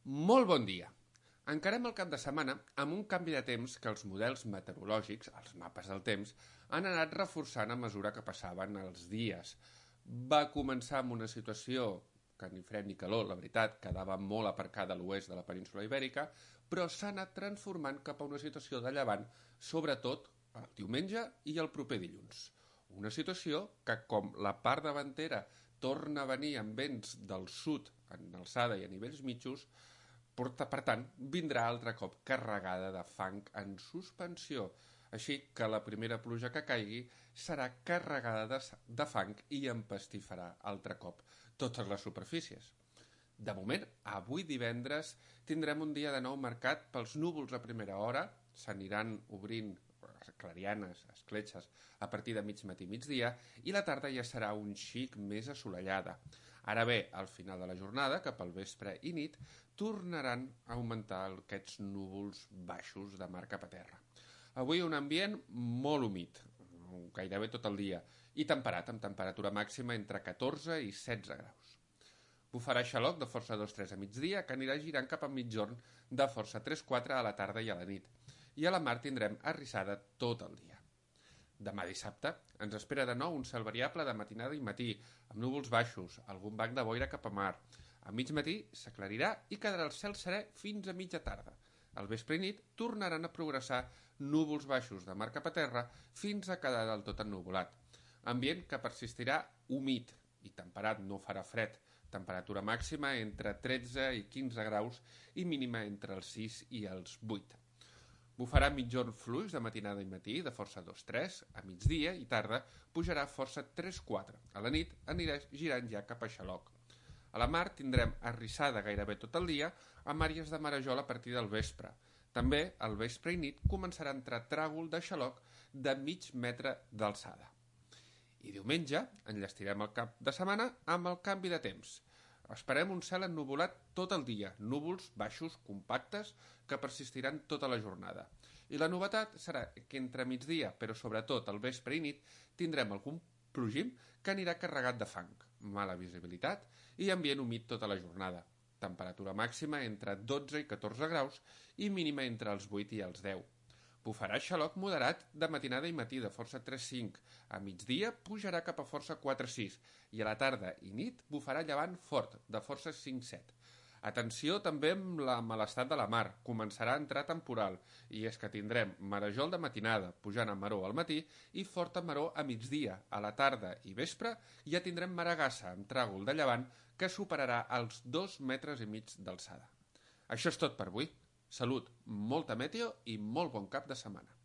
Molt bon dia. Encarem el cap de setmana amb un canvi de temps que els models meteorològics, els mapes del temps, han anat reforçant a mesura que passaven els dies. Va començar amb una situació que ni fred ni calor, la veritat, quedava molt aparcada a l'oest de la península Ibèrica, però s'ha anat transformant cap a una situació de llevant, sobretot el diumenge i el proper dilluns. Una situació que, com la part davantera torna a venir amb vents del sud en alçada i a nivells mitjos, per tant, vindrà altre cop carregada de fang en suspensió, així que la primera pluja que caigui serà carregada de fang i empastifarà altre cop totes les superfícies. De moment, avui divendres tindrem un dia de nou marcat pels núvols a primera hora, s'aniran obrint clarianes, escletxes, a partir de mig matí migdia, i la tarda ja serà un xic més assolellada. Ara bé, al final de la jornada, cap al vespre i nit, tornaran a augmentar aquests núvols baixos de mar cap a terra. Avui un ambient molt humit, gairebé tot el dia, i temperat, amb temperatura màxima entre 14 i 16 graus. Bufarà xaloc de força 2-3 a migdia, que anirà girant cap a mitjorn de força 3-4 a la tarda i a la nit. I a la mar tindrem arrissada tot el dia. Demà dissabte ens espera de nou un cel variable de matinada i matí, amb núvols baixos, algun banc de boira cap a mar. A mig matí s'aclarirà i quedarà el cel serè fins a mitja tarda. Al vespre i nit tornaran a progressar núvols baixos de mar cap a terra fins a quedar del tot ennuvolat. Ambient que persistirà humit i temperat, no farà fred. Temperatura màxima entre 13 i 15 graus i mínima entre els 6 i els 8. Bufarà mitjorn fluix de matinada i matí, de força 2-3, a migdia i tarda pujarà força 3-4. A la nit anirà girant ja cap a xaloc. A la mar tindrem arrissada gairebé tot el dia, amb àrees de marejol a partir del vespre. També, al vespre i nit, començarà a entrar tràgol de xaloc de mig metre d'alçada. I diumenge enllestirem el cap de setmana amb el canvi de temps. Esperem un cel ennuvolat tot el dia, núvols baixos, compactes, que persistiran tota la jornada. I la novetat serà que entre migdia, però sobretot al vespre i nit, tindrem algun plogim que anirà carregat de fang, mala visibilitat i ambient humit tota la jornada. Temperatura màxima entre 12 i 14 graus i mínima entre els 8 i els 10. Bufarà xaloc moderat de matinada i matí de força 3-5. A migdia pujarà cap a força 4-6 i a la tarda i nit bufarà llevant fort de força 5-7. Atenció també amb la malestat de la mar. Començarà a entrar temporal i és que tindrem marejol de matinada pujant a maró al matí i forta maró a migdia. A la tarda i vespre ja tindrem maragassa amb tràgol de llevant que superarà els 2,5 metres d'alçada. Això és tot per avui. Salut, molta meteo i molt bon cap de setmana.